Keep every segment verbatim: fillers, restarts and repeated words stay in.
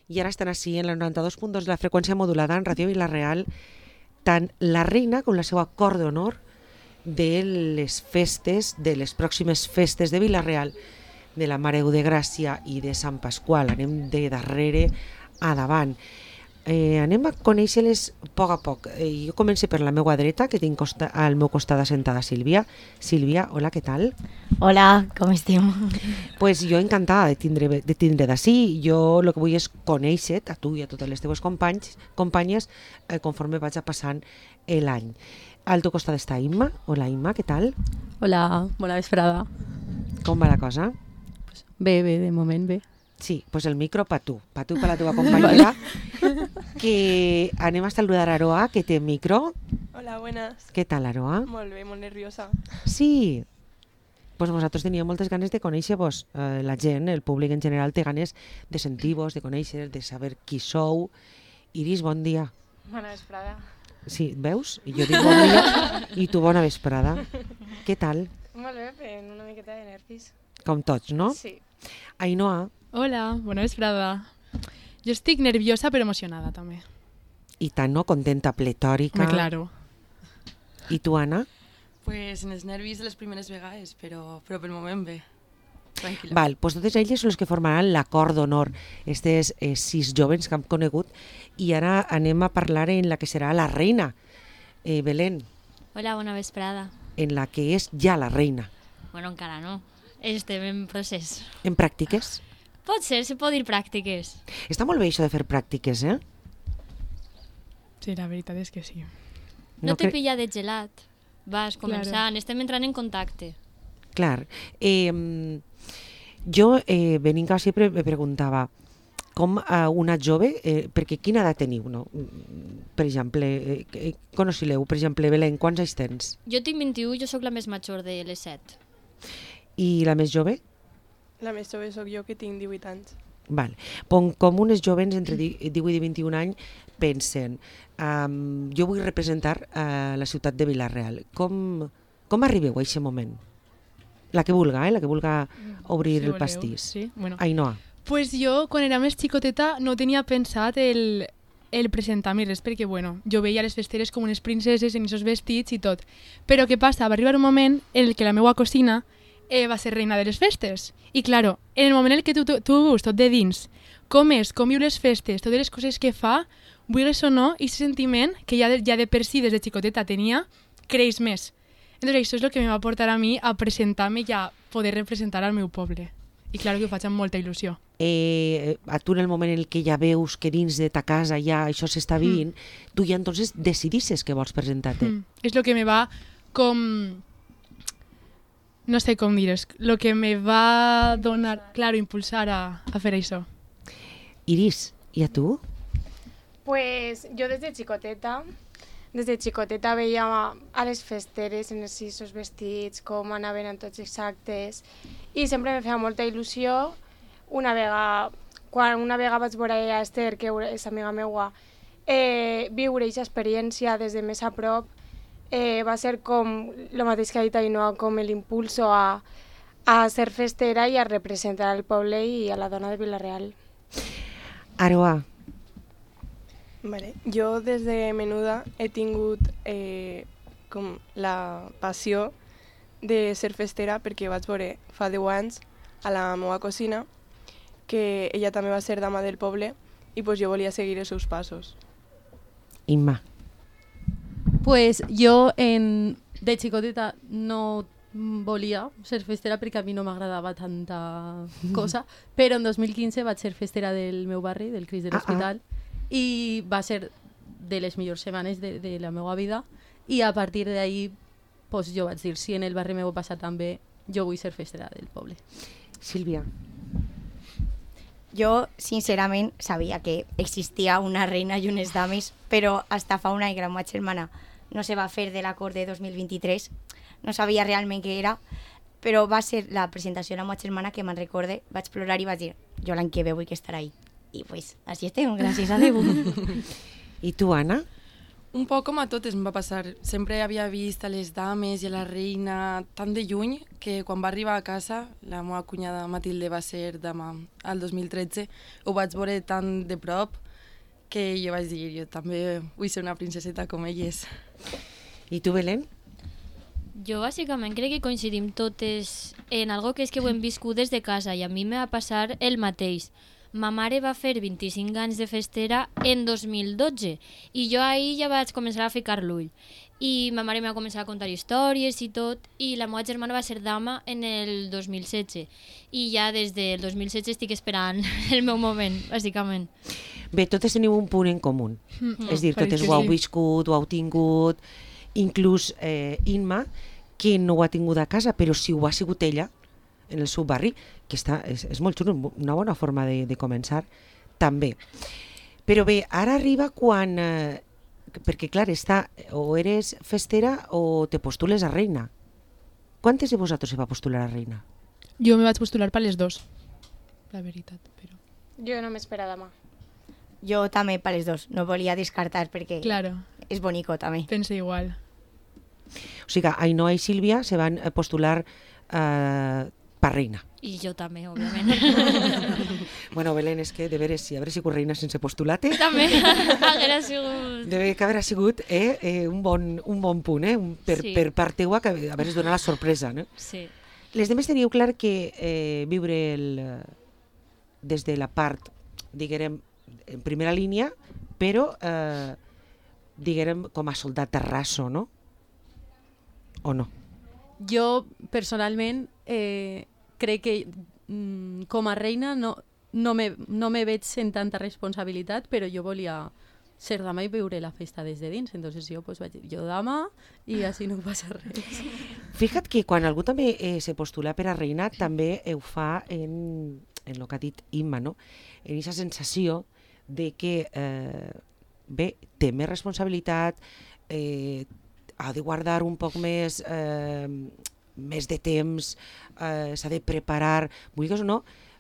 i ara estan així en la noranta-dos punt dos de la freqüència modulada en Ràdio Vila-real, tant la reina com la seva cor d'honor de les festes, de les pròximes festes de Vila-real, de la Mare de Gràcia i de Sant Pasqual. Anem de darrere a davant. Eh, anem a conèixer-les a poc a poc. Eh, jo començo per la meva dreta, que tinc costa, al meu costat assentada Sílvia. Sílvia, hola, què tal? Hola, com estem? Pues jo encantada de tindre de tindre d'ací. Jo el que vull és conèixer a tu i a totes les teves companys, companyes eh, conforme vaig passant l'any. Al teu costat està Imma. Hola, Imma, què tal? Hola, bona vesprada. Com va la cosa? Pues bé, bé, de moment bé. Sí, pues el micro pa tu, pa tu i pa la teva companyera, que anem a saludar a Aroa, que té micro. Hola, buenas. Què tal, Aroa? Molt bé, molt nerviosa. Sí, pues nosaltres teníem moltes ganes de conèixer-vos. Eh, la gent, el públic en general, té ganes de sentir-vos, de conèixer, de saber qui sou. Iris, bon dia. Bona vesprada. Sí, veus? I jo dic bon dia i tu bona vesprada. Què tal? Molt bé, fent una miqueta de nervis. Com tots, no? Sí. Ainhoa. Hola, bona vesprada. Jo estic nerviosa però emocionada també. I tant, no? Contenta, pletòrica. Me claro. I tu, Anna? Pues en els nervis de les primeres vegades, però, però pel moment bé. Tranquil·la. Val, doncs totes elles són les que formaran l'acord d'honor, aquestes eh, sis jovens que hem conegut, i ara anem a parlar en la que serà la reina, eh, Belén, Hola, bona vesprada. en la que és ja la reina. Bueno, encara no. Estem en procés. En pràctiques? Pot ser, se pot dir pràctiques. Està molt bé això de fer pràctiques, eh? Sí, la veritat és que sí. No, no te cre- pilla de gelat. Vas començant, Claro. estem entrant en contacte. Clar. Eh, jo, eh, venint cap sempre, me preguntava com a una jove, eh, perquè quina edat teniu, no? Per exemple, eh, eh, coneixileu, per exemple, Belén, quants anys tens? Jo tinc vint-i-u, jo sóc la més major de les set. I la més jove? La més jove sóc jo, que tinc divuit anys. Val. Com, com unes jovens entre divuit i vint-i-un anys pensen, um, jo vull representar uh, la ciutat de Vila-real. Com, com arribeu a aquest moment? La que vulga, eh? La que vulga obrir Si el voleu, pastís. Sí, bueno. Ainhoa. Pues jo, quan era més xicoteta, no tenia pensat el, el presentar-me res, perquè bueno, jo veia les festeres com unes princeses en aquests vestits i tot. Però què passa? Va arribar un moment en el que la meva cosina eh, va ser reina de les festes. I claro, en el moment en el que tu, tu, tu veus tot de dins, com és, com viu les festes, totes les coses que fa, vulguis o no, i aquest sentiment que ja de, ja de per si des de xicoteta tenia, creix més. Entonces això és el que me va portar a mi a presentar-me i a poder representar al meu poble. I claro que ho faig amb molta il·lusió. Eh, a tu en el moment en el que ja veus que dins de ta casa ja això s'està vivint, mm. tu ja entonces decidisses que vols presentar-te. Mm. És el que me va com... No sé com dir, és el que me va donar, claro, impulsar a, a fer això. Iris, i a tu? Pues jo des de xicoteta, des de xicoteta veia a les festeres en els sis vestits, com anaven en tots els actes, i sempre me feia molta il·lusió. Una vegada, quan una vegada vaig veure a Esther, que és amiga meua, eh, viure aquesta experiència des de més a prop, eh, va ser com el mateix que ha dit Ainhoa, com l'impulso a, a ser festera i a representar el poble i a la dona de Vila-real. Aroa. Vale. Jo des de menuda he tingut eh, com la passió de ser festera, perquè vaig veure fa deu anys a la meva cosina que ella també va ser dama del poble i pues jo volia seguir els seus passos. Imma. Pues jo en, de xicoteta no volia ser festera perquè a mi no m'agradava tanta cosa, però en dos mil quinze vaig ser festera del meu barri, del Cris de l'Hospital, ah, ah. i va ser de les millors setmanes de, de la meva vida, i a partir d'ahí pues, jo vaig dir, si en el barri meu passa tan bé, jo vull ser festera del poble. Sílvia. Jo, sincerament, sabia que existia una reina i unes dames, però hasta fa un any que la meva germana no se va fer de l'acord de dos mil vint-i-tres, no sabia realment què era, però va ser la presentació de la meva germana que me'n recorde, vaig plorar i vaig dir, jo l'any que ve vull que estarà ahí. I pues, així estem, gràcies a Déu. I tu, Anna? Un poc com a totes em va passar. Sempre havia vist a les dames i a la reina tan de lluny que quan va arribar a casa, la meva cunyada Matilde va ser dama al dos mil tretze, ho vaig veure tan de prop que jo vaig dir, jo també vull ser una princeseta com elles. I tu, Belén? Jo bàsicament crec que coincidim totes en algo que és que ho hem viscut des de casa i a mi me va passar el mateix. Ma mare va fer vint-i-cinc anys de festera en dos mil dotze i jo ahir ja vaig començar a ficar l'ull. I ma mare m'ha començat a contar històries i tot, i la meva germana va ser dama en el dos mil setze. I ja des del dos mil setze estic esperant el meu moment, bàsicament. Bé, totes teniu un punt en comú. Mm. És a dir, totes ho heu viscut, ho heu tingut, inclús eh, Inma, que no ho ha tingut a casa, però si ho ha sigut ella, en el seu barri, que està, és, és molt xulo, una bona forma de, de començar, també. Però bé, ara arriba quan... Eh, perquè, clar, està, o eres festera o te postules a reina. Quantes de vosaltres se va postular a reina? Jo me vaig postular per les dos, la veritat, però... Jo no m'espera demà. Jo també per les dos, no volia descartar perquè Claro, és bonico també. pense igual. O sigui, Ainhoa i Sílvia se van eh, postular eh, per reina. I jo també, òbviament. Bueno, Belén, és que de veres, si haver sigut reina sense postular-te, també haguera sigut... deve que haver sigut eh, eh, un, bon, un bon punt, eh? Un, per, Sí. per part teua, que haveres donat la sorpresa, no? Sí. Les demés teniu clar que eh, viure el, eh, des de la part, diguem, en primera línia, però, eh, diguem, com a soldat de raso, no? O no? Jo, personalment, eh, crec que mm, com a reina no, no, me, no me veig en tanta responsabilitat, però jo volia ser dama i viure la festa des de dins. Entonces jo pues, vaig dir, jo dama, i així no passa res. Fija't que quan algú també eh, se postula per a reina, també ho fa en, en el que ha dit Imma, no? En aquesta sensació de que, eh, bé, té més responsabilitat, eh, ha de guardar un poc més, eh, més de temps, eh, s'ha de preparar, vulguis o no,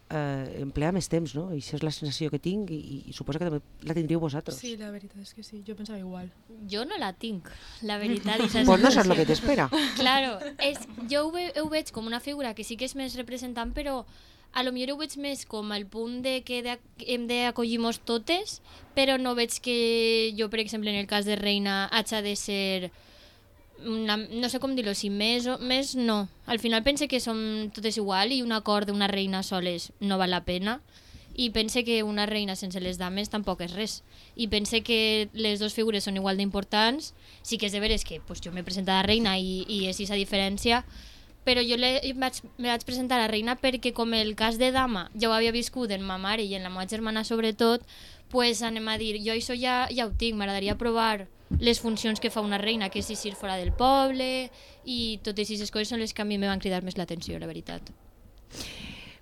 eh, emplear més temps, no? I això és la sensació que tinc i, i suposo que també la tindríeu vosaltres. Sí, la veritat és que sí, jo pensava igual. Jo no la tinc, la veritat. I Pues no saps el que t'espera. Claro, és, jo ho, ve, ho veig com una figura que sí que és més representant, però a lo millor ho veig més com el punt de que de, hem d'acollir-nos totes, però no veig que jo, per exemple, en el cas de reina, haig de ser... Una, no sé com dir-ho, si més o més no. Al final pense que som totes igual i un acord d'una reina soles no val la pena, i pense que una reina sense les dames tampoc és res, i pense que les dues figures són igual d'importants. Sí que és de veres que pues, jo m'he presentat a reina i, i és aquesta diferència, però jo le, vaig, me vaig presentar a reina perquè com el cas de dama ja ho havia viscut en ma mare i en la meva germana sobretot, pues anem a dir, jo això ja, ja ho tinc, m'agradaria provar les funcions que fa una reina, que és eixir fora del poble, i totes aquestes coses són les que a mi me van cridar més l'atenció, la veritat.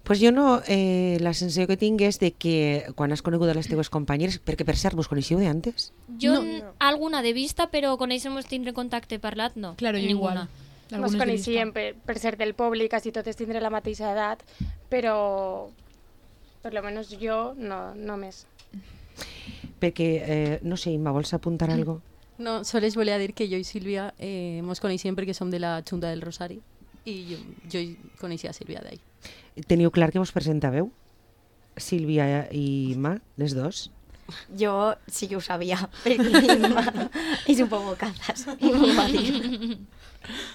Pues jo no, eh, la sensació que tinc és de que quan has conegut a les teves companyeres, perquè per cert, vos coneixeu d'antes? Jo No. no. alguna de vista, però conèixer-nos tindre contacte parlat, no. Claro, jo ninguna. igual. Ens Algunes de coneixíem vista. per, per ser del poble i quasi totes tindre la mateixa edat, però per lo menos jo no, no més. Perquè, eh, no sé, Imma, vols apuntar Mm. algo? No, sols volia dir que jo i Sílvia eh, mos coneixíem perquè som de la Junta del Rosari i jo, jo coneixia a Sílvia d'ahí. Teniu clar que vos presentàveu? Sílvia i Imma, les dos? Jo sí que ho sabia, perquè mi mamà és un poc bocazas i m'ho va dir.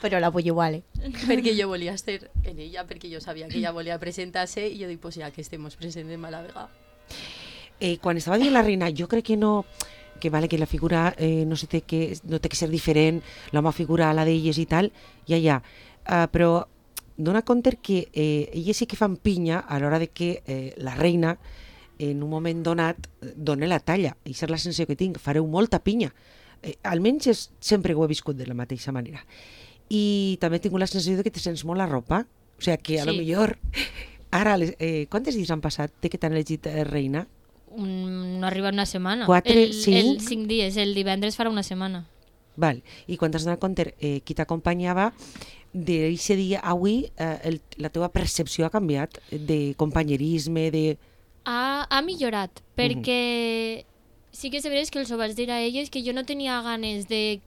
Però la vull igual, eh? Perquè jo volia estar en ella, perquè jo sabia que ella volia presentar-se i jo dic, pues ja que estem, mos presentem a la vegada. Eh, quan estava dient la reina, jo crec que no... que vale que la figura eh, no, se té que, no té que ser diferent, la meva figura a la d'elles i tal, ja, ja. Uh, però dona compte que eh, elles sí que fan pinya a l'hora de que eh, la reina en un moment donat dona la talla. I és la sensació que tinc, fareu molta pinya. Eh, almenys és, sempre ho he viscut de la mateixa manera. I també he tingut la sensació de que te sents molt la ropa, o sigui que a lo Sí. millor... Ara, les, eh, quantes dies han passat de que t'han elegit eh, reina? Un, no arriba una setmana. Quatre, el, cinc? El cinc dies, el divendres farà una setmana. Val. I quan t'has donat compte eh, qui t'acompanyava, d'aquest dia avui eh, el, la teva percepció ha canviat de companyerisme, de... Ha, ha millorat, perquè sí que és veritat que els ho vaig dir a elles que jo no tenia ganes de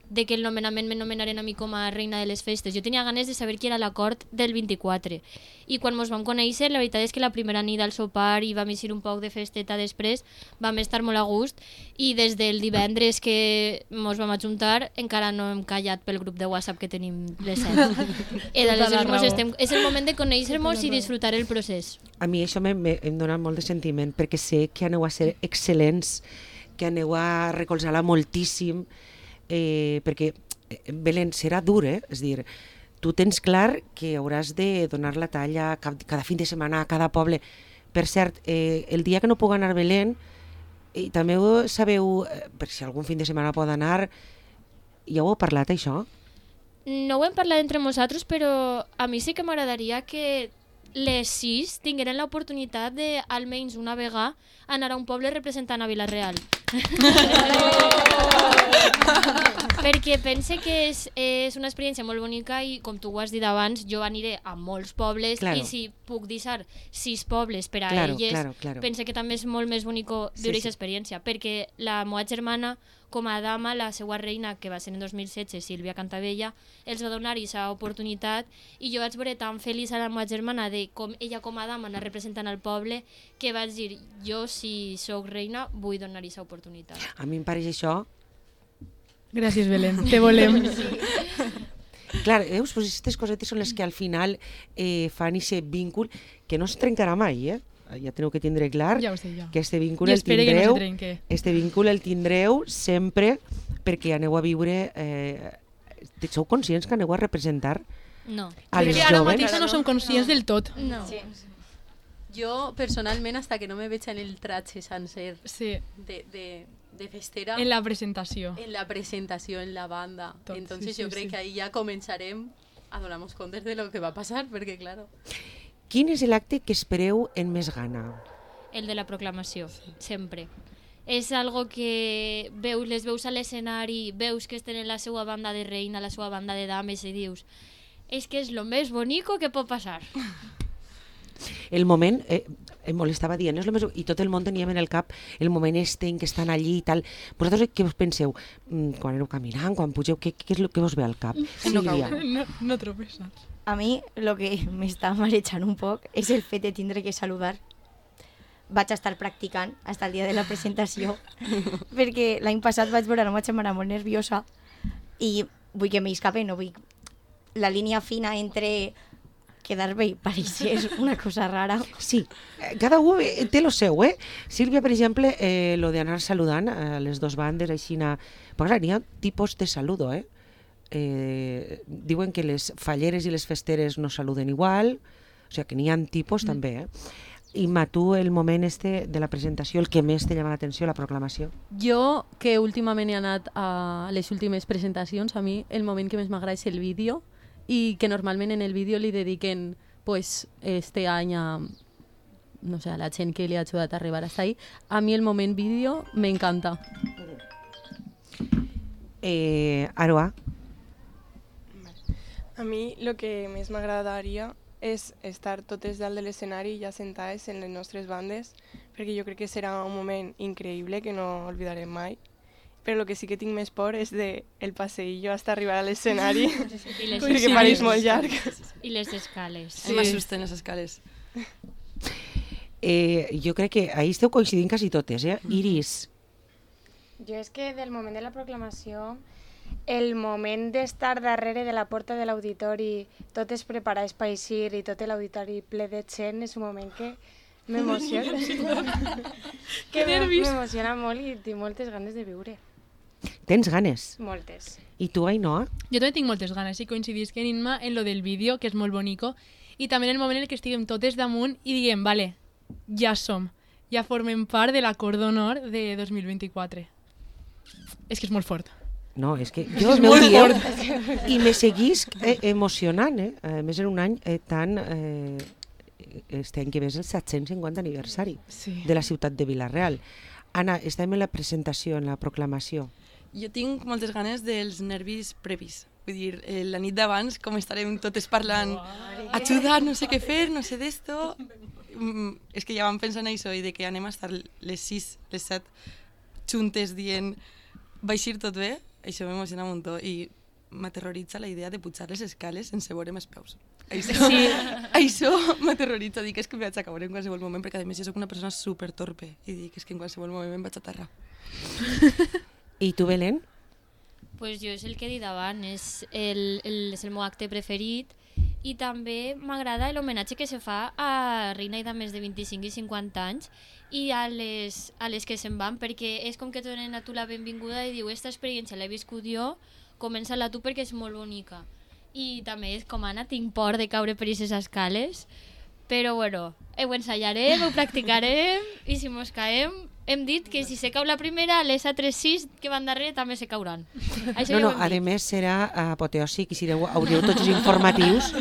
de que el nomenament me nomenaren a mi com a reina de les festes. Jo tenia ganes de saber qui era l'acord del vint-i-quatre. I quan mos vam conèixer, la veritat és que la primera nit al sopar i vam eixir un poc de festeta després, vam estar molt a gust i des del divendres que mos vam ajuntar encara no hem callat pel grup de WhatsApp que tenim les set. estem... És el moment de conèixer-nos i disfrutar el procés. A mi això me, me, em dona molt de sentiment perquè sé que aneu a ser excel·lents, que aneu a recolzar-la moltíssim, Eh, perquè Belén, serà dur, eh? És dir, tu tens clar que hauràs de donar la talla cada, cada fin de setmana a cada poble. Per cert, eh, el dia que no puc anar a Belén, i també ho sabeu, eh, per si algun fin de setmana pot anar, ja ho heu parlat, això? No ho hem parlat entre nosaltres, però a mi sí que m'agradaria que les sis tingueren l'oportunitat de, almenys una vegada, anar a un poble representant a Vila-real. Perquè pense que és, és una experiència molt bonica i, com tu ho has dit abans, jo aniré a molts pobles claro. I si puc deixar sis pobles per a claro, elles, claro, claro. pense que també és molt més bonico viure aquesta sí, sí. experiència, perquè la meva germana, com a dama, la seva reina, que va ser en dos mil setze, Sílvia Cantavella, els va donar aquesta oportunitat i jo vaig veure tan feliç a la meva germana de com ella com a dama anar representant al poble que vaig dir, jo si sóc reina vull donar aquesta oportunitat. A mi em pareix això. Gràcies, Belén, te volem. Sí. Clar, veus, pues aquestes cosetes són les que al final eh, fan aquest vincul que no es trencarà mai, eh? Ja teniu que tindre clar ja sé, ja. que este vincul el tindreu, no este vincul el tindreu sempre perquè aneu a viure, eh, sou conscients que aneu a representar no. als joves? Ara mateix no som conscients no. del tot. No. Sí. Jo, personalment, hasta que no me veig en el tratge sencer sí. de, de, de festera... En la presentació. En la presentació, en la banda. Tot, Entonces sí, jo sí, crec sí. que ahí ja començarem a donar-nos comptes de lo que va passar, perquè, claro... Quin és l'acte que espereu en més gana? El de la proclamació, sí. sempre. És algo que veus, les veus a l'escenari, veus que tenen la seva banda de reina, la seva banda de dames i dius és que és lo més bonico que pot passar. El moment, eh, em molestava dient, és lo més... i tot el món teníem en el cap el moment este en què estan allí i tal. Vosaltres què us penseu? Mm, quan aneu caminant, quan pugeu, què, què és el que us ve al cap? Sílvia. No, no tropezas. A mi el que m'està marejant un poc és el fet de tindre que saludar. Vaig estar practicant fins al dia de la presentació perquè l'any passat vaig veure la meva germana molt nerviosa i vull que m'escape, no vull... La línia fina entre quedar bé i pareixer una cosa rara. Sí, cada un té lo seu, eh? Sílvia, per exemple, eh, lo d'anar saludant a les dues bandes, així... Na... Però clar, n'hi ha tipus de saludo, eh? Eh, diuen que les falleres i les festeres no saluden igual, o sigui que n'hi ha tipus mm. també, eh? I ma, tu, el moment este de la presentació, el que més te llama l'atenció, la proclamació? Jo, que últimament he anat a les últimes presentacions, a mi el moment que més m'agrada és el vídeo, i que normalment en el vídeo li dediquen pues, este any a, no sé, a la gent que li ha ajudat a arribar hasta ahí. A mi el moment vídeo m'encanta. Eh, Aroa? A mi el que més m'agradaria és estar totes dalt de l'escenari ja sentades en les nostres bandes, perquè jo crec que serà un moment increïble que no oblidarem mai. Però el que sí que tinc més por és de el passeillo hasta arribar a l'escenari, perquè pareix molt llarg. I les escales. Sí. M'assusten les escales. Eh, jo crec que ahí esteu coincidint quasi totes, eh? Iris? Jo és que del moment de la proclamació, el moment d'estar darrere de la porta de l'auditori, totes preparades per eixir i tot l'auditori ple de gent, és un moment que m'emociona. que m'emociona molt i tinc moltes ganes de viure. Tens ganes? Moltes. I tu, Ainhoa? Jo també tinc moltes ganes i coincidís que en Inma en lo del vídeo, que és molt bonico, i també en el moment en el que estiguem totes damunt i diguem, vale, ja som, ja formem part de l'acord d'honor de dos mil vint-i-quatre. És que és molt fort. No, és que jo es meu dieu i me seguís eh, emocionant, eh? A més en un any eh, tan... Eh, este any que ve és el set-cents cinquanta aniversari sí. de la ciutat de Vila-real. Anna, estem en la presentació, en la proclamació. Jo tinc moltes ganes dels nervis previs. Vull dir, eh, la nit d'abans, com estarem totes parlant, ajuda, no sé què fer, no sé d'esto... Mm, és que ja vam pensar en això i de que anem a estar les sis, les set juntes dient va eixir tot bé, això m'emociona un muntó i m'aterroritza la idea de pujar les escales sense veure'm els peus. Això, sí. Això m'aterroritza, dic és que em vaig acabar en qualsevol moment, perquè a més jo soc una persona super torpe i dic és que en qualsevol moment em vaig aterrar. I tu, Belén? Pues jo és el que he dit abans, és el, el, és el meu acte preferit i també m'agrada l'homenatge que se fa a reina i dames de vint-i-cinc i cinquanta anys i a les, a les que se'n van, perquè és com que et donen a tu la benvinguda i diu esta experiència l'he viscut jo, comença-la tu perquè és molt bonica. I també és com Anna, tinc por de caure per aquestes escales, però bueno, ho ensayarem, ho practicarem i si mos caem, hem dit que si se cau la primera, les altres sis que van darrere també se cauran. Això No, ja no, ho a hem dit. més serà apoteòsic i si deu, hauríeu tots els informatius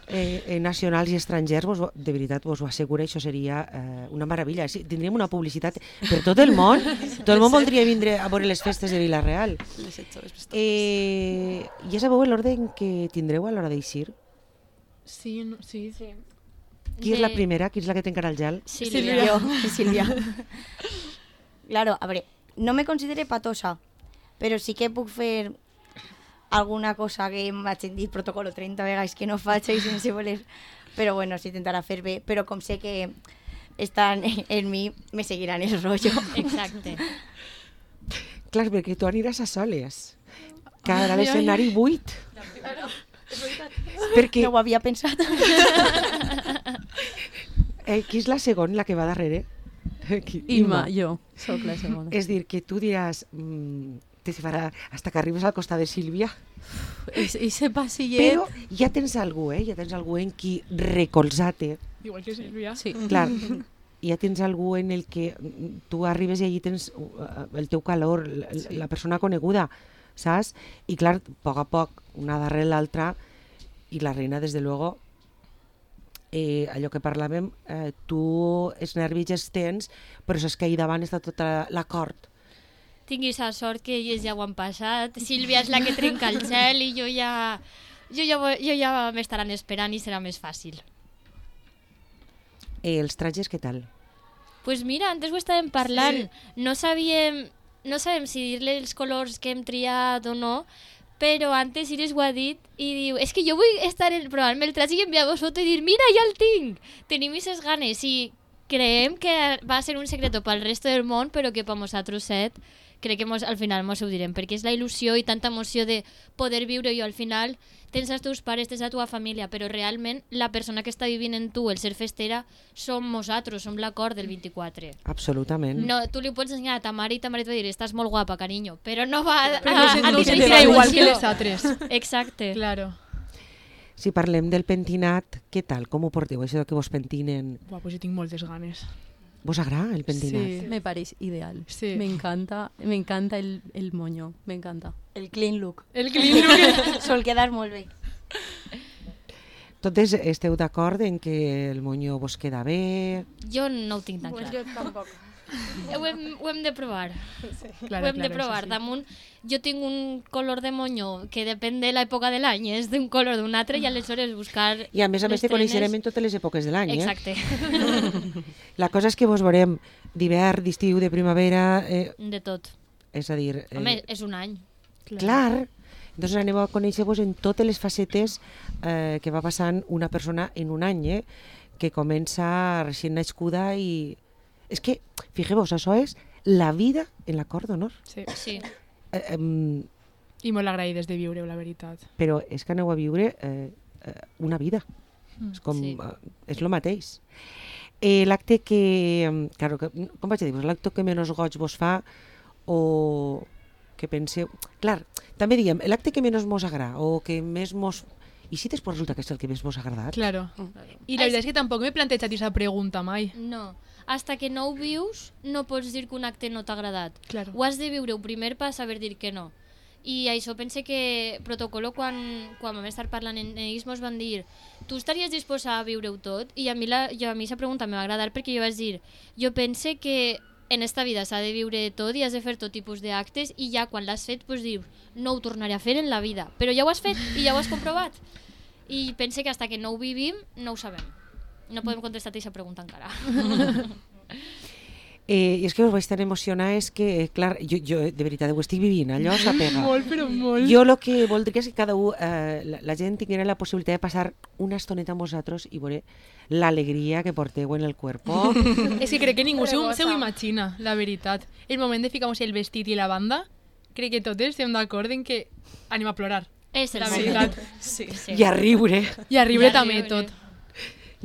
eh, eh, nacionals i estrangers, vos, de veritat vos ho asseguro, això seria eh, una meravella. Sí, tindríem una publicitat per tot el món, tot el món voldria vindre a veure les festes de Vila-real. Les set joves més Eh, ja sabeu l'ordre en què tindreu a l'hora d'eixir? Sí, no, sí. Sí. Qui és la De- primera? Qui és la que té encara el gel? Sílvia. Yo, Silvia. Claro, a ver, no me considere patosa, pero sí que puc fer alguna cosa que m'hagin dit protocolo trenta vegades que no faig i sense voler, però bueno, s'intentarà fer bé, però com sé que estan en mi, me seguiran el rollo. Exacte. Clar, perquè tu aniràs a soles. Quedarà l'escenari buit. Perquè No ho havia pensat. eh, qui és la segona, la que va darrere? Qui- Imma, jo, sóc la segona. És dir, que tu diràs, mm, te farà hasta que arribes al costat de Sílvia, Ese pasillet... però ja tens algú, eh? Ja tens algú en qui recolzar-te. Igual que Sílvia. Sí. Clar, ja tens algú en el que mm, tu arribes i allí tens uh, el teu calor, la, la persona coneguda, saps? I clar, a poc a poc, una darrere l'altra, i la reina, des de luego, eh, allò que parlàvem, eh, tu els nervis els tens, però és que ahir davant està tota l'acord. Tinguis la sort que ells ja ho han passat. Sílvia és la que trenca el gel i jo ja, jo ja, vo- jo ja m'estaran esperant i serà més fàcil. Eh, els trajes, què tal? Pues mira, antes ho estàvem parlant. Sí. No sabíem, no sabem si dir-li els colors que hem triat o no, però antes Iris ho ha dit i diu, és que jo vull estar en, provar-me el traje i enviar-vos foto i dir, mira, ja el tinc! Tenim aquestes ganes i creiem que va ser un secreto pel resto del món, però que per nosaltres set, crec que mos, al final mos ho direm, perquè és la il·lusió i tanta emoció de poder viure-ho al final. Tens els teus pares, tens la teva família, però realment la persona que està vivint en tu, el ser festera, som nosaltres, som la cor del vint-i-quatre. Absolutament. No, tu li ho pots ensenyar a ta mare i ta mare et va dir, estàs molt guapa, carinyo, però no va a, Però a, no, se- a no deixar sentirà aquesta igual que il·lusió. les altres. Exacte. Claro. Si parlem del pentinat, què tal? Com ho porteu, això que vos pentinen? Buah, pues jo tinc moltes ganes. Vos agrada el pentinat? Sí. Me parece ideal. Sí. Me encanta, me encanta el, el moño, me encanta. El clean look. El clean look. Sol quedar molt bé. Totes esteu d'acord en que el moño vos queda bé? Jo no ho tinc tan Pues clar. jo tampoc. Ho hem, ho hem de provar. Claro, ho hem de claro, provar. eso sí. Damunt, jo tinc un color de moño que depèn de l'època de l'any, és d'un color d'un altre i aleshores buscar... I a més a més les te coneixerem trenes- en totes les èpoques de l'any, eh? Exacte. La cosa és que vos veurem d'hivern, d'estiu, de primavera, eh, De tot. és a dir... Eh, Home, és un any. clar, doncs aneu a conèixer-vos en totes les facetes eh, que va passant una persona en un any, eh? Que comença recient nascuda i... És que, fixeu-vos, això és la vida en la cort d'honor. Sí. Sí. Eh, eh, I molt agraïdes de viure-ho, la veritat. però és que aneu a viure eh, eh, una vida. Mm, És com, sí. eh, és el mateix. Eh, l'acte que, em, claro, que, com vaig dir, l'acte que menys goig vos fa o que penseu... Clar, també diguem, l'acte que menys mos agrada o que més mos... I si després resulta que és el que més vos ha agradat? Claro. I la veritat és que tampoc m'he plantejat aquesta pregunta mai. No. Hasta que no ho vius, no pots dir que un acte no t'ha agradat. Claro. Ho has de viure-ho primer per saber dir que no. I això pense que Protocolo, quan, quan vam estar parlant en ells, mos van dir tu estaries disposat a viure-ho tot? I a mi, la, jo, a mi aquesta pregunta me va agradar perquè jo vaig dir jo pense que en esta vida s'ha de viure tot i has de fer tot tipus d'actes i ja quan l'has fet pues, dius no ho tornaré a fer en la vida. Però ja ho has fet i ja ho has comprovat. I pense que hasta que no ho vivim no ho sabem. No podem contestar aquesta pregunta encara. Eh, I és que us vaig tan emocionar, és que, clar, jo, jo de veritat ho estic vivint, allò s'apega. Molt, però molt. Jo el que voldria és que cada un, eh, la, la gent tinguera la possibilitat de passar una estoneta amb vosaltres i veure l'alegria que porteu en el cuerpo. És que crec que ningú se ho, Rebosa. se ho imagina, la veritat. El moment de ficar-nos el vestit i la banda, crec que totes estem d'acord en que anem a plorar, És el la moment. veritat. Sí. Sí. I a riure. I a riure I a també riure. tot.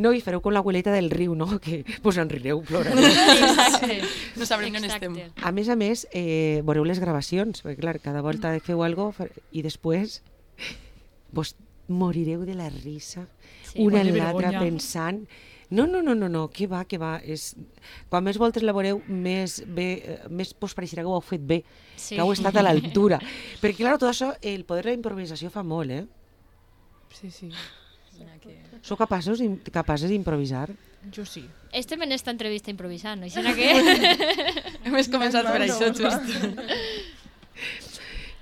No, i fareu com l'abueleta del riu, no? Que vos en rireu, plorareu. Exacte. No sabrem on estem. Exacte. A més a més, eh, veureu les gravacions, perquè clar, cada volta que feu alguna cosa i després vos morireu de la risa, Sí. una Quant en de l'altra vergonya. pensant... No, no, no, no, no, que va, que va. És... Quan més voltes la veureu, més, bé, eh, més vos pareixerà que ho heu fet bé, Sí. que heu estat a l'altura. Perquè, clar, tot això, el poder de la improvisació fa molt, eh? Sí, sí. Sou capaços, d'im- capaces d'improvisar? Jo sí. Estem en esta entrevista improvisant, així que... Hem començat per això, just.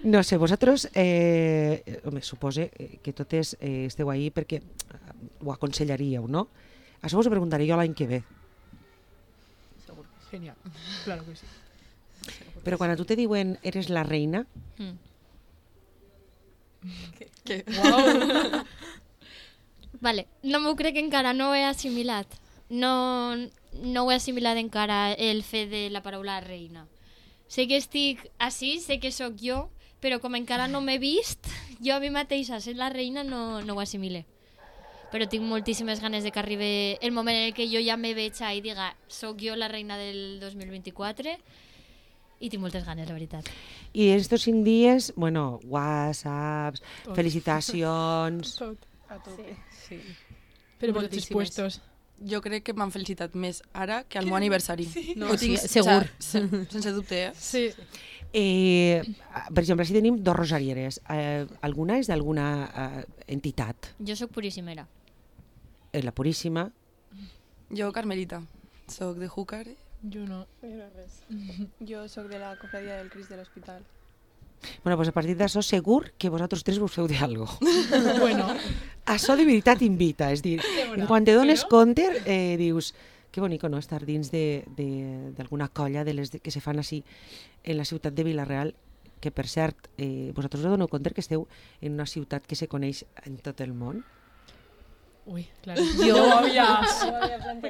No sé, vosaltres, eh, home, supose eh, que totes eh, esteu ahí perquè eh, ho aconsellaríeu, no? Això us ho preguntaré jo l'any que ve. Genial. Claro que sí. Però quan a tu te diuen eres la reina, Mm. Què? Wow. Vale, no m'ho crec encara, no ho he assimilat. No, no ho he assimilat encara el fet de la paraula reina. Sé que estic així, sé que sóc jo, però com encara no m'he vist, jo a mi mateixa ser la reina no, no ho assimile. Però tinc moltíssimes ganes de que arribi el moment en què jo ja me veig i diga sóc jo la reina del dos mil vint-i-quatre i tinc moltes ganes, la veritat. i en estos cinc dies, bueno, whatsapps, Tot. felicitacions... Tot. A tope. Sí. Però per tots Moltíssimes. puestos. Jo crec que m'han felicitat més ara que al meu aniversari. No, Ho sí, tinc, segur. o sigui, se- sense dubte, eh? Sí. Eh, per exemple, si tenim dos rosarieres, eh, alguna és d'alguna eh, entitat, Jo sóc puríssimera. eh, la Puríssima, Jo, Carmelita, soc de Júcar. Jo no. Jo no res. Jo sóc de la cofradia del Crist de l'Hospital. bueno, pues a partir d'això segur que vosaltres tres vos feu de algo. Bueno, Això de veritat invita, és dir, en quan te dones compte, eh, dius, que bonico, no?, estar dins de- de- d'alguna colla de les de, que se fan així en la ciutat de Vila-real, que per cert, eh, vosaltres us doneu compte que esteu en una ciutat que se coneix en tot el món? ui, claro. Jo,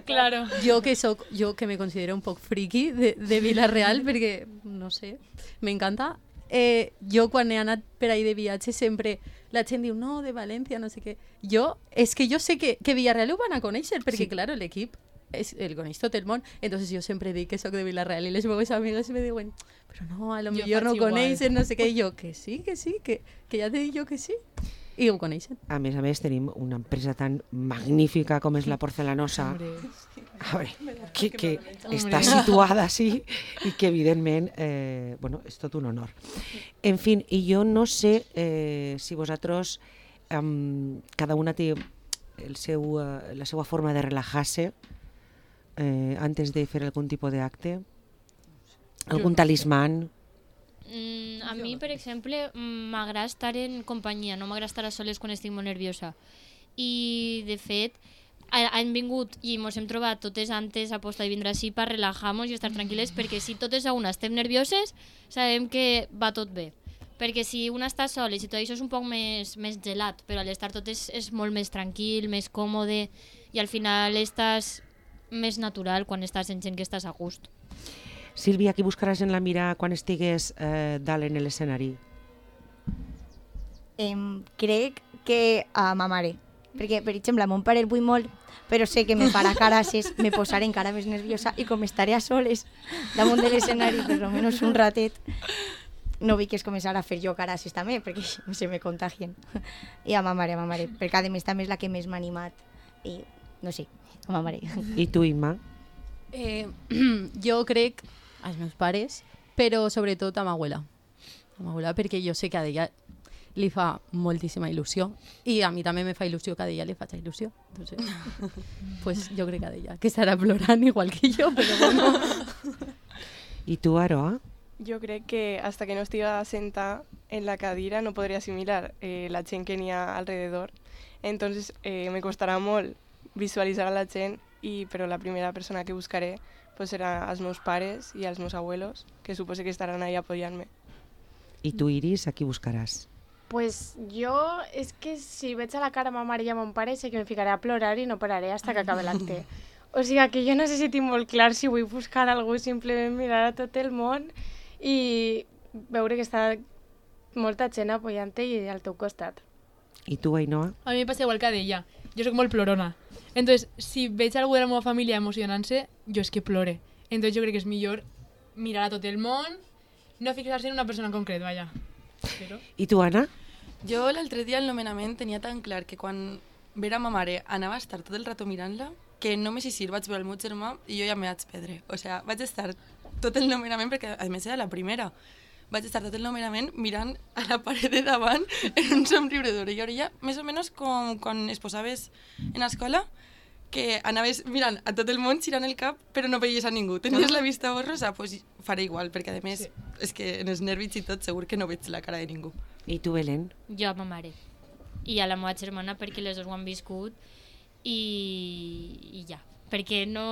Claro. jo que soc, jo que me considero un poc friki de, de Vila-real perquè, no sé, m'encanta. Eh, jo quan he anat per ahí de viatge sempre la gent diu, no, de València, no sé què. Jo, és que jo sé que, que Villarreal ho van a conèixer perquè, Sí. claro, l'equip és, el coneix tot el món. Entonces jo sempre dic que sóc de Vila-real i les meves amigues me diuen, però no, a lo Jo millor no faig igual. coneixen, no sé què. I jo, que sí, que sí, que, que ja t'he dit jo que sí. I ho coneixen. A més a més, tenim una empresa tan magnífica com és la Porcelanosa, Hombre. a veure, que, que està situada així i que, evidentment, eh, bueno, és tot un honor. En fi, i jo no sé eh, si vosaltres, um, cada una té el seu, uh, la seva forma de relajar-se eh, antes de fer algun tipus d'acte, algun talismàn. Mm, a mi, per exemple, mm, m'agrada estar en companyia, no m'agrada estar a soles quan estic molt nerviosa. I, de fet, ha- han vingut i ens hem trobat totes antes a posta de vindre així per relajar-nos i estar tranquil·les, perquè si totes a una estem nervioses, sabem que va tot bé. Perquè si una està sola i si tot això és un poc més, més gelat, però a l'estar totes és molt més tranquil, més còmode, i al final estàs més natural quan estàs en gent que estàs a gust. Sílvia, qui buscaràs en la mira quan estigues eh, dalt en l'escenari? Em, crec que a ma mare. Perquè, per exemple, a mon pare el vull molt, però sé que me farà carasses, me posaré encara més nerviosa i com estaré a soles damunt de l'escenari per almenys un ratet, no vull que es començar a fer jo carasses també, perquè se me contagien. I a ma mare, a ma mare, perquè a més també és la que més m'ha animat. I, no sé, a ma mare. I tu, Imma? Eh, jo crec als meus pares, però sobretot a ma abuela. A ma abuela, perquè jo sé que a ella li fa moltíssima il·lusió i a mi també me fa il·lusió que a ella li faig il·lusió. Entonces, pues jo crec que a ella, que estarà plorant igual que jo, però bueno. I tu, Aroa? Jo crec que hasta que no estiga sentada en la cadira no podré asimilar eh, la gent que n'hi ha alrededor. Entonces eh, me costarà molt visualitzar a la gent, i, però la primera persona que buscaré pues serà als meus pares i als meus abuelos, que suposo que estaran ahí apoyant-me. I tu, Iris, a qui buscaràs? Pues jo, és que si veig a la cara ma mare i a mon pare sé que me ficaré a plorar i no pararé hasta que acabe l'acte. O sigui que jo no sé si tinc molt clar si vull buscar algú, simplement mirar a tot el món i veure que està molta gent apoyant-te i al teu costat. I tu, Ainhoa? A mi me passa igual que a ella. Jo soc molt plorona. Entonces, si veig algú de la meva família emocionant-se, jo és que plore. Entonces jo crec que és millor mirar a tot el món, no fixar-se en una persona en concret, vaja. Però... I tu, Anna? Jo l'altre dia al nomenament tenia tan clar que quan vera ma mare anava a estar tot el rato mirant-la que només així vaig veure el meu germà i jo ja me vaig perdre. O sigui, vaig estar tot el nomenament, perquè a més era la primera, vaig estar tot el nomenament mirant a la paret de davant en un somriure d'orella a orella, més o menys com quan es posaves en escola, que anaves mirant a tot el món, girant el cap, però no veies a ningú. Tenies la vista borrosa, doncs pues faré igual, perquè a més, sí. És que en els nervis i tot segur que no veig la cara de ningú. I tu, Belén? Jo a ma mare. I a la meva germana perquè les dues ho han viscut i, i ja. Perquè no...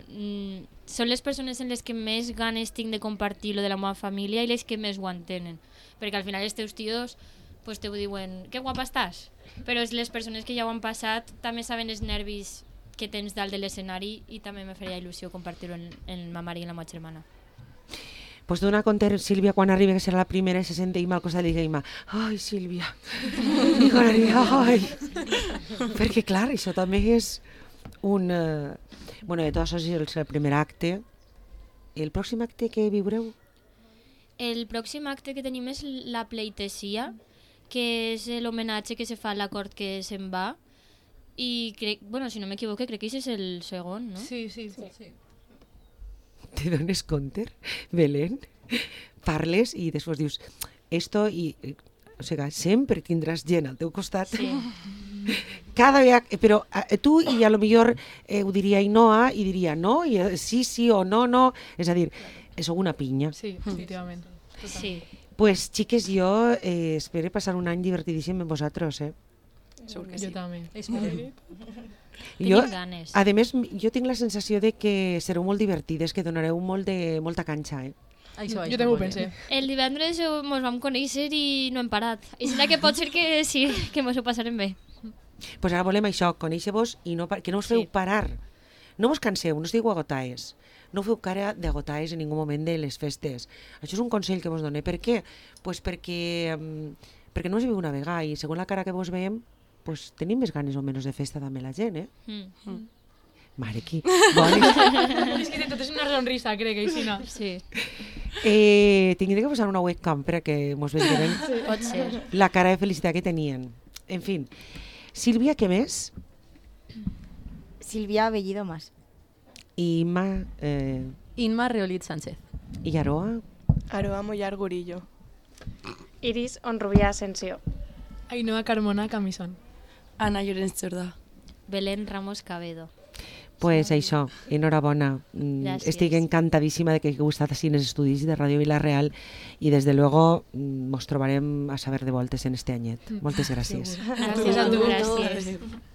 Mm, són les persones en les que més ganes tinc de compartir lo de la meva família i les que més ho entenen. Perquè al final els teus tios pues, te ho diuen, que guapa estàs? Però les persones que ja ho han passat també saben els nervis que tens dalt de l'escenari i també me faria il·lusió compartir-ho en, en ma mare i en la meva germana. Pues dona compte, Sílvia, quan arribi que serà la primera, se sente Ima al costat i diga Ima, ai, Sílvia, i quan arribi, ai. Perquè, clar, això també és un... Uh... Bueno, de tot això és el primer acte. El pròxim acte que viureu? El pròxim acte que tenim és la pleitesia, que és l'homenatge que se fa a l'acord que se'n va. I crec, bueno, si no m'equivoque, crec que això és el segon, no? Sí, sí, sí. sí. Te dones compte, Belén? Parles i després dius esto i... O sigui, sempre tindràs gent al teu costat. Sí. Cada vegada... Però eh, tu i a lo millor eh, ho diria Ainhoa i diria no, i eh, sí, sí o no, no. És a dir, sou una pinya. Sí, definitivament. Sí. Pues, xiques, jo eh, espero passar un any divertidíssim amb vosaltres, eh? Segur que Jo sí. també. Jo, Tenim ganes. a més, jo tinc la sensació de que sereu molt divertides, que donareu molt de, molta canxa, eh? Això, Jo també ho pensé. El divendres mos vam conèixer i no hem parat. I serà que pot ser que sí, que mos ho passarem bé. Pues ara volem això, conèixer-vos i no, que no us feu Sí. parar. No vos canseu, no estigueu agotaes. No feu cara d'agotaes en ningú moment de les festes. Això és un consell que vos doné. Per què? Pues perquè, um, perquè no us viu una vegada i segons la cara que vos veiem, pues tenim més ganes o menys de festa també la gent, eh? Mm. Mm. Mare, qui? Bones. És que tot és una sonrisa, crec, Aixina. Sí, Eh, tindré que posar una webcam perquè mos vegin pot ser. la cara de felicitat que tenien. En fin. Sílvia, què més? Silvia Bellido Mas. I Imma eh, Inma Reolit Sánchez. i Aroa. Aroa Mollar Gurillo. Iris Onrubia Asensio. Ainhoa Carmona Camisón. Anna Llorenç Jordà. Belén Ramos Cabedo. Pues això, enhorabona. Mm, Gràcies. Estic encantadíssima de que hagueu estat així en els estudis de Ràdio Vila-real i des de luego mm, mos trobarem a saber de voltes en este anyet. Moltes gràcies. Gràcies a tu. Gràcies.